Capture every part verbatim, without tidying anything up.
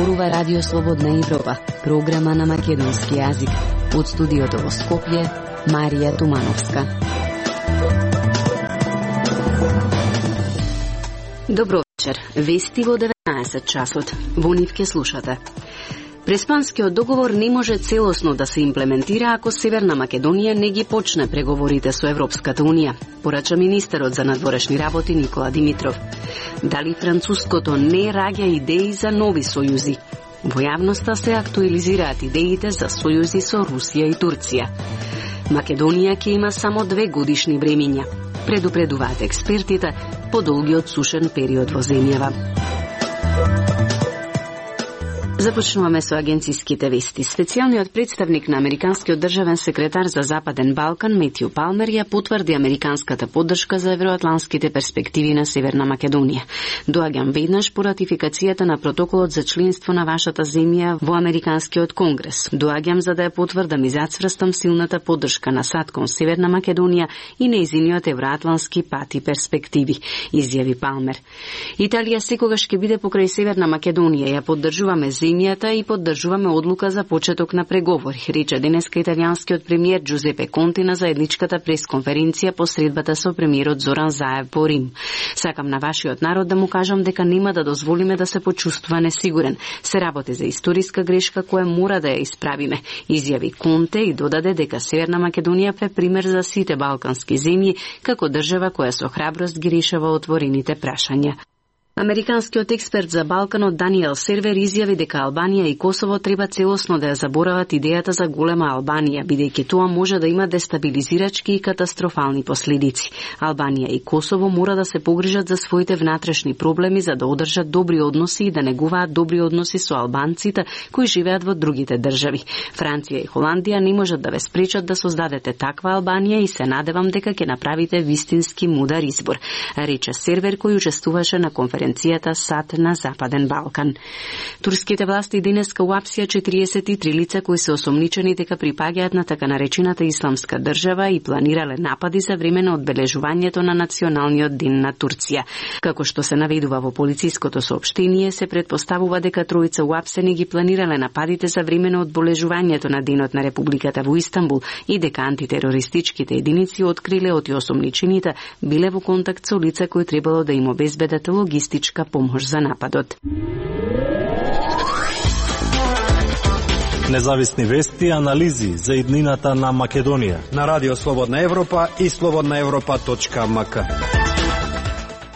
зборува Радио Слободна Европа, програма на македонски јазик. Од студиото во Скопје, Марија Тумановска. Добро вечер. Вести во деветнаесет часот. Во нив ке слушате. Преспанскиот договор не може целосно да се имплементира ако Северна Македонија не ги почне преговорите со Европската Унија, порача министерот за надворешни работи Никола Димитров. Дали француското не раѓа идеи за нови сојузи? Во јавноста се актуализираат идеите за сојузи со Русија и Турција. Македонија ќе има само две годишни времиња. Предупредуваат експертите по долгиот сушен период во земјава. Започнуваме со агенциските вести. Специјалниот представник на американскиот државен секретар за Западен Балкан Метју Палмер ја потврди американската поддршка за евроатланските перспективи на Северна Македонија. Доаѓам веднаш по ратификацијата на протоколот за членство на вашата земја во Американскиот конгрес. Доаѓам за да ја потврдам и зацврстам силната поддршка на САД кон Северна Македонија и нејзиниот евроатлански пат и перспективи, изјави Палмер. Италија секогаш ќе биде покрај Северна Македонија, ја поддржуваме земјата и поддржуваме одлука за почеток на преговори, рече денеска италијанскиот премиер Джузепе Конте на заедничката пресконференција по средбата со премиерот Зоран Заев по Рим. Сакам на вашиот народ да му кажам дека нема да дозволиме да се почувствува несигурен. Се работи за историска грешка која мора да ја исправиме, изјави Конте и додаде дека Северна Македонија е пример за сите балкански земји како држава која со храброст ги решава отворените прашања. Американскиот експерт за Балканот Даниел Сервер изјави дека Албанија и Косово треба целосно да ја заборават идејата за голема Албанија, бидејќи тоа може да има дестабилизирачки и катастрофални последици. Албанија и Косово мора да се погрижат за своите внатрешни проблеми за да одржат добри односи и да негуваат добри односи со албанците кои живеат во другите држави. Франција и Холандија не можат да ве спречат да создадете таква Албанија и се надевам дека ќе направите вистински мудар избор, рече Сервер кој учествуваше на конференцијата САД на Западен Балкан. Турските власти денеска уапсија четириесет и три лица кои се осомничени дека припаѓаат на така наречената исламска држава и планирале напади за време на одбележувањето на националниот ден на Турција. Како што се наведува во полициското соопштение, се предпоставува дека тројца уапсени ги планирале нападите за време на одбележувањето на денот на Републиката во Истанбул и дека антитерористичките единици откриле од осомничените биле во контакт со лица кои требало да им обезбедат логистичка помош за нападот. Независни вести и анализи за иднината на Македонија на Радио Слободна Европа и слободна европа точка ем ка.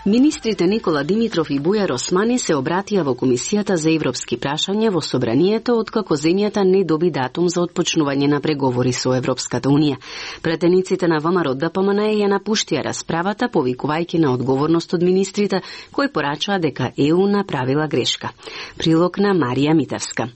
Министрите Никола Димитров и Бујар Османи се обратија во Комисијата за европски прашања во Собранието откако земјата не доби датум за отпочнување на преговори со Европската Унија. Пратениците на ВМРО Д П М Н ја напуштија расправата, повикувајќи на одговорност од министрите кои порачаа дека Е У направила грешка. Прилог на Марија Митевска.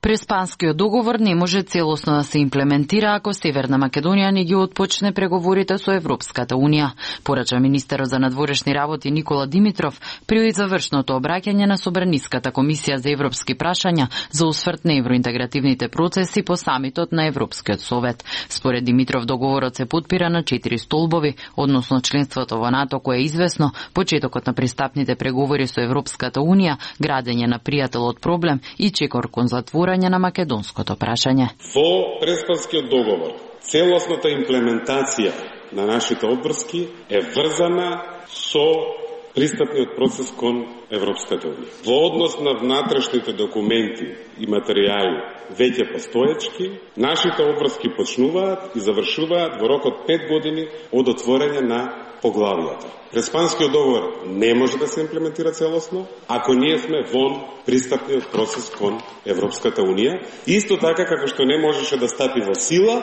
Преспанскиот договор не може целосно да се имплементира ако Северна Македонија не ги отпочне преговорите со Европската Унија, порача министерот за надворешни работи Никола Димитров при завршното обраќање на Собраниската комисија за европски прашања за осврт на евроинтегративните процеси по самитот на Европскиот совет. Според Димитров договорот се потпира на четири столбови, односно членството во НАТО кое е известно, почетокот на пристапните преговори со Европската Унија, градење на пријателот проблем и чекор кон затвор на македонското прашање. Во Преспанскиот договор, целосната имплементација на нашите одврски е врзана со пристапниот процес кон Европската Унија. Во однос на внатрешните документи и материјали веќе постоечки, нашите одврски почнуваат и завршуваат во рок од пет години од отворање на поглавијата. Преспанскиот договор не може да се имплементира целосно ако ние сме вон пристапниот процес кон Европската Унија. Исто така како што не можеше да стапи во сила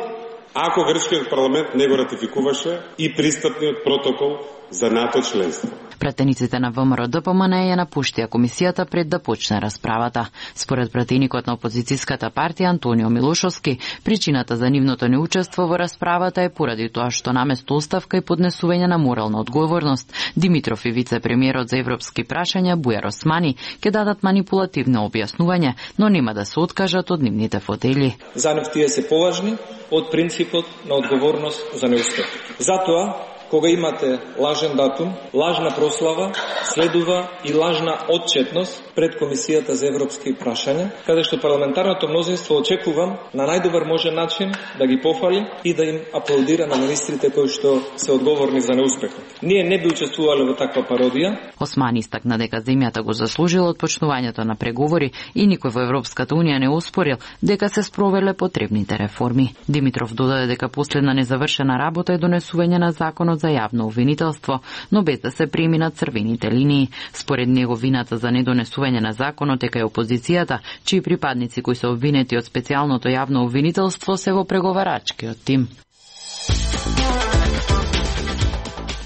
ако грчкиот парламент не го ратификуваше и пристапниот протокол за НАТО членство. Пратениците на ВМРО Д П М Н ја напуштија комисијата пред да почне расправата. Според пратеникот на опозицијската партија Антонио Милошовски, причината за нивното неучество во расправата е поради тоа што наместо оставка и поднесување на морална одговорност, Димитров и вице-премиерот за европски прашања Бујар Османи ќе дадат манипулативно објаснување, но нема да се откажат од нивните фотели. За нив тие се поважни од принципот на одговорност за неуспех. Затоа кога имате лажен датум, лажна прослава, следува и лажна отчетност пред Комисијата за европски прашања, каде што парламентарното мнозинство очекувам на најдобар можен начин да ги пофали и да им аплаудира на министрите кои што се одговорни за неуспехот. Ние не би учествувале во таква пародија. Османи истакна дека земјата го заслужила од почнувањето на преговори и никој во Европската унија не оспорил дека се спровеле потребните реформи. Димитров додаде дека последна незавршена работа е донесување на законот за јавно обвинителство, но без да се преминат црвените линии. Според него вината за недонесување на законот е кај опозицијата, чии припадници кои се обвинети од специјалното јавно обвинителство се во преговарачкиот тим.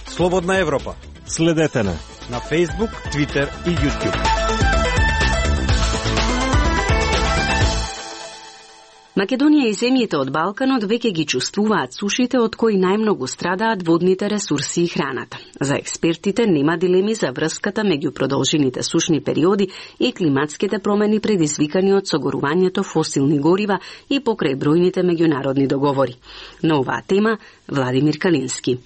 Слободна Европа. Следете на на Facebook, Twitter и YouTube. Македонија и земјите од Балканот веќе ги чувствуваат сушите од кои најмногу страдаат водните ресурси и храната. За експертите нема дилеми за врската меѓу продолжените сушни периоди и климатските промени предизвикани од согорувањето фосилни горива и покрај бројните меѓународни договори. На оваа тема Владимир Калински.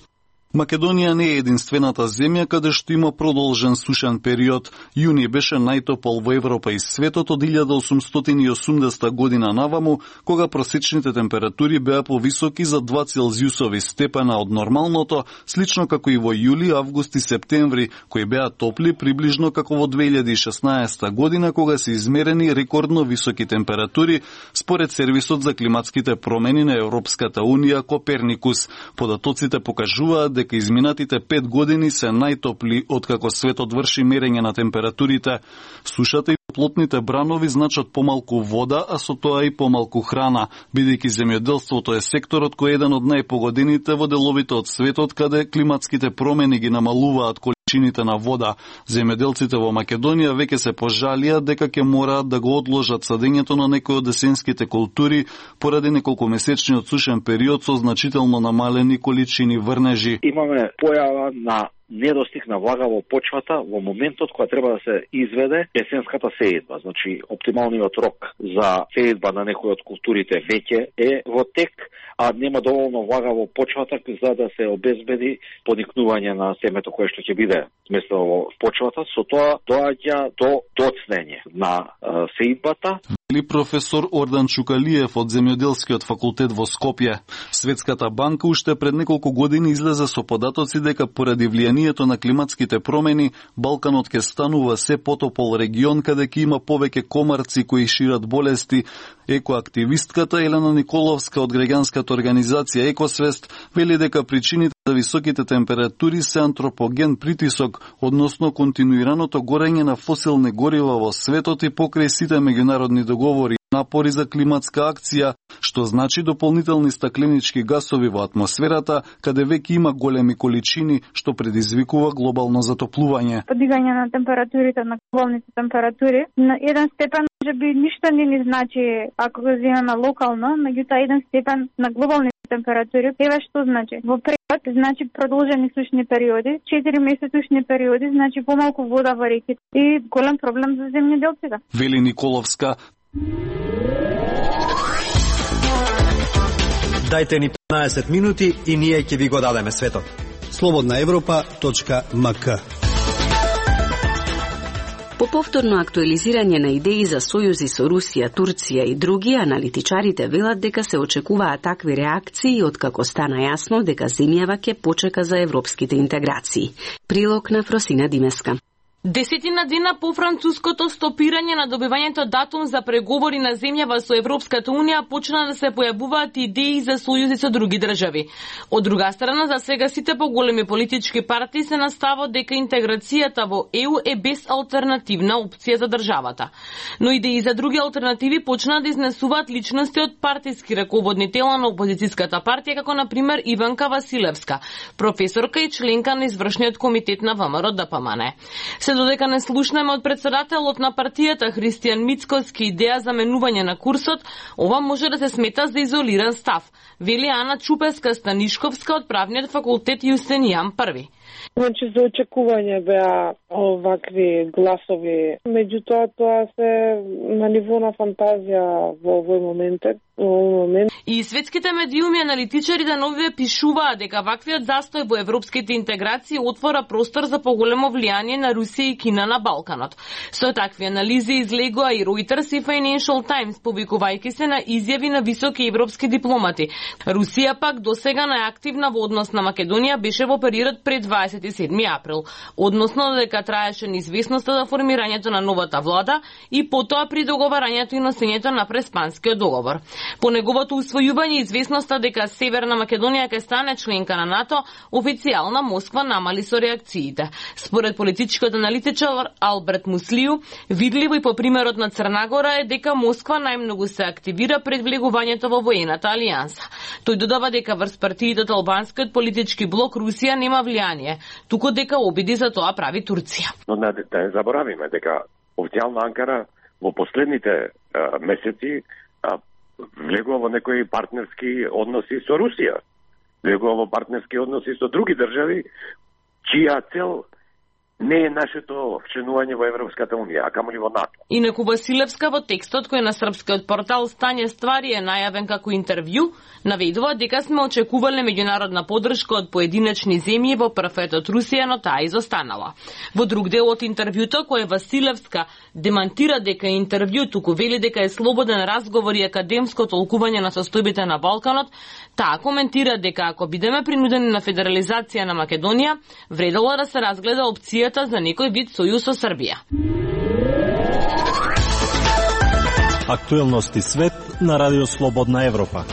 Македонија не е единствената земја каде што има продолжен сушен период. Јуни беше најтопол во Европа и светот од илјада осумстотини и осумдесета година наваму, кога просечните температури беа повисоки за два целзиусови степена од нормалното, слично како и во јули, август и септември, кои беа топли приближно како во две илјади и шеснаесета година, кога се измерени рекордно високи температури, според сервисот за климатските промени на Европската унија Коперникус. Податоците покажуваат дека изминатите пет години се најтопли откако светот врши мерење на температурите. Сушата и плотните бранови значат помалку вода, а со тоа и помалку храна, бидејќи земјоделството е секторот кој е еден од најпогодените во деловите од светот каде климатските промени ги намалуваат количините на вода. Земјоделците во Македонија веќе се пожалија дека ќе мораат да го одложат садењето на некои од есенските култури поради неколкумесечниот сушен период со значително намалени количини врнежи. Имаме појава на недостиг на влага во почвата во моментот кога треба да се изведе есенската сеидба. Значи, оптималниот рок за сеидба на некои од културите веќе е во тек, а нема доволно влага во почвата за да се обезбеди поникнување на семето кое што ќе биде сместено во почвата. Со тоа доаѓа до доцнење на а, сеидбата. Или професор Ордан Чукалиев од Земјоделскиот факултет во Скопје. Светската банка уште пред неколку години излезе со податоци дека поради влијанието на климатските промени, Балканот ќе станува се потопол регион каде ќе има повеќе комарци кои шират болести. Екоактивистката Елена Николовска од граѓанската организација Екосвест вели дека причините за високите температури се антропоген притисок, односно континуираното горење на фосилни горива во светот и покрај сите меѓународни договори, напори за климатска акција, што значи дополнителни стакленички гасови во атмосферата, каде веќе има големи количини, што предизвикува глобално затоплување. Подигање на температурите, на глобалните температури, на еден степен може би ништо не ни значи ако го земеме локално, меѓутоа еден степен на глобални температури, еве што значи. Во превод значи продолжени сушни периоди, четири месеци сушни периоди, значи помалку вода во реките и голем проблем за земјоделците. Вели Николовска. Дајте ни петнаесет минути и ние ќе ви го дадеме светот. слободна европа точка ем ка. По повторно актуализирање на идеи за сојузи со Русија, Турција и други, аналитичарите велат дека се очекуваат такви реакции откако стана јасно дека земјава ќе почека за европските интеграции. Прилог на Фросина Димеска. Десетина дена по француското стопирање на добивањето датум за преговори на земјава со Европската унија почна да се појавуваат идеи за сојузи со други држави. Од друга страна, за сега сите поголеми политички партии се на ставот дека интеграцијата во Е У е безалтернативна опција за државата. Но идеи за други алтернативи почна да изнесуваат личности од партиски раководни тела на опозицијската партија, како на пример Иванка Василевска, професорка и членка на извршниот комитет на Вэ Ем Р Д П М Н. Додека не слушнеме од председателот на партијата Христијан Мицкоски идеја за менување на курсот, ова може да се смета за изолиран став, вели Ана Чупеска-Станишковска од правниот факултет Јустинијан Први. Значи за очекување беа овакви гласови, меѓутоа тоа се на ниво на фантазија во овој момент. момент. И светските медиуми аналитичари да новиве пишуваат дека ваквиот застој во европските интеграции отвора простор за поголемо влијание на Русија и Кина на Балканот. Со такви анализи излегоа и Reuters и Financial Times, повикувајќи се на изјави на високи европски дипломати. Русија пак досега најактивна во однос на Македонија беше во периодот пред дваесет и седми април, односно додека траеше неизвестноста за формирањето на новата влада и потоа при договарањето и носењето на Преспанскиот договор. По неговото усвојување известноста дека Северна Македонија ќе стане членка на НАТО, официјална Москва намали со реакциите. Според политичкиот аналитичар Алберт Муслију, видливо и по примерот на Црна Гора е дека Москва најмногу се активира пред влегувањето во воената алијанса. Тој додава дека врз партиите од албанскиот политички блок Русија нема влијание, туку дека обиди за тоа прави Турција. Но не, да не заборавиме дека официјална Анкара во последните а, месеци а, влегува во некои партнерски односи со Русија, влегува во партнерски односи со други држави, чија цел не е нашето членување во Европската Унија, а камоли во НАТО. Инаку Василевска во текстот кој на српскиот портал Стање ствари е најавен како интервју, наведува дека сме очекувале меѓународна поддршка од поединечни земји во прветот Русија, но таа изостанала. Во друг дел од интервјуто кој Василевска демантира дека е интервју, туку вели дека е слободен разговор и академско толкување на состојбите на Балканот, таа коментира дека ако бидеме принудени на федерализација на Македонија, вредело да се разгледа опција за некој вид сојуз со Србија. Актуелности свет на Радио Слободна Европа.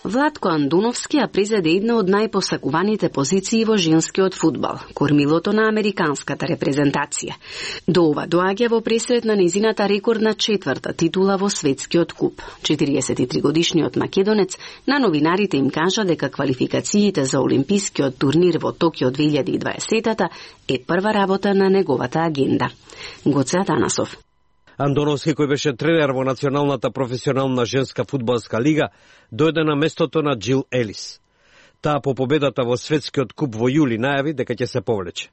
Владко Андуновски ја презеде една од најпосакуваните позиции во женскиот фудбал, кормилото на американската репрезентација. До ова доаѓа во пресрет на незината рекордна четврта титула во светскиот куп. четириесет и три годишниот македонец на новинарите им кажа дека квалификациите за олимпискиот турнир во Токио две илјади и дваесета е прва работа на неговата агенда. Гоце Атанасов. Андоновски, кој беше тренер во Националната професионална женска фудбалска лига, дојде на местото на Джил Елис. Таа по победата во светскиот куп во јули најави дека ќе се повлече.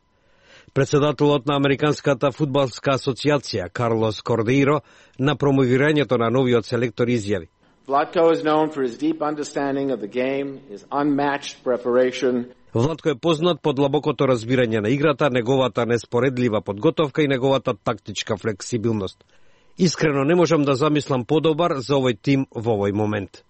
Председателот на Американската фудбалска асоциација Карлос Кордеиро на промовирањето на новиот селектор изјави: Vlatko is known for his deep understanding of the game, his unmatched preparation. Владко е познат по длабокото разбирање на играта, неговата неспоредлива подготовка и неговата тактичка флексибилност. Искрено не можам да замислам подобар за овој тим во овој момент.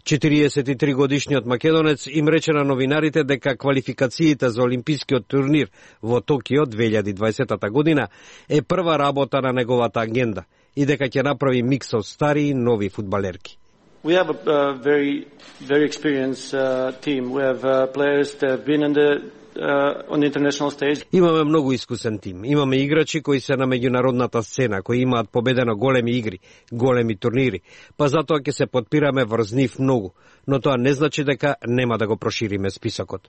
четириесет и три годишниот македонец им рече на новинарите дека квалификациите за олимпискиот турнир во Токио две илјади и дваесета година е прва работа на неговата агенда и дека ќе направи микс од стари и нови фудбалерки. We have a uh, very, very experienced uh, team. We have uh, players that have been in the, uh, on the international stage. Имаме многу искусен тим. Имаме играчи кои се на меѓународната сцена, кои имаат победено големи игри, големи турнири. Па затоа ќе се подпираме врз нив многу, но тоа не значи дека нема да го прошириме списокот.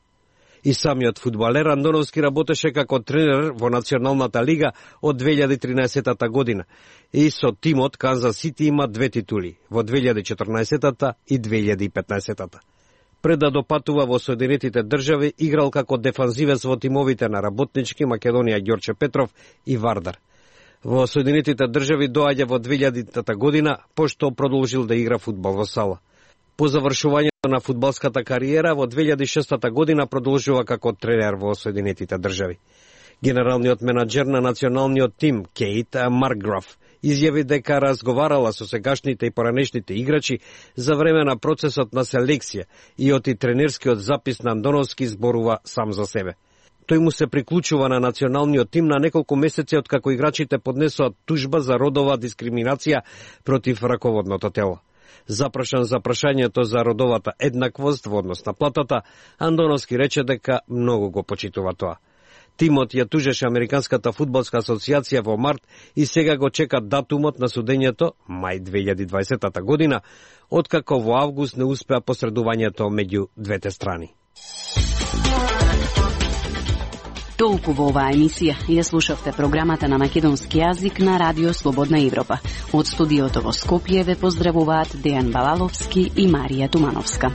И самиот фудбалер Андоновски работеше како тренер во Националната лига од две илјади и тринаесета година. И со тимот Канзас Сити има две титули во две илјади и четрнаесета и две илјади и петнаесета. Пред да допатува во Соединетите држави, играл како дефанзивец во тимовите на Работнички, Македонија, Ѓорче Петров и Вардар. Во Соединетите држави доаѓа во две илјадитата година, пошто продолжил да игра фудбал во сала. По завршувањето на фудбалската кариера во две илјади и шеста година продолжува како тренер во Соединетите држави. Генералниот менаџер на националниот тим Кейт Маркграф изјави дека разговарала со сегашните и поранешните играчи за време на процесот на селекција и оти тренерскиот запис на Андоновски зборува сам за себе. Тој му се приклучува на националниот тим на неколку месеци од како играчите поднесоа тужба за родова дискриминација против раководното тело. Запрашан за прашањето за родовата еднаквост во однос на платата, Андоновски рече дека многу го почитува тоа. Тимот ја тужеше Американската фудбалска асоциација во март и сега го чека датумот на судењето, мај две илјади и дваесета година, откако во август не успеа посредувањето меѓу двете страни. Толку во оваа емисија. Ја слушавте програмата на македонски јазик на Радио Слободна Европа. Од студиото во Скопје ве поздравуваат Дејан Балаловски и Марија Тумановска.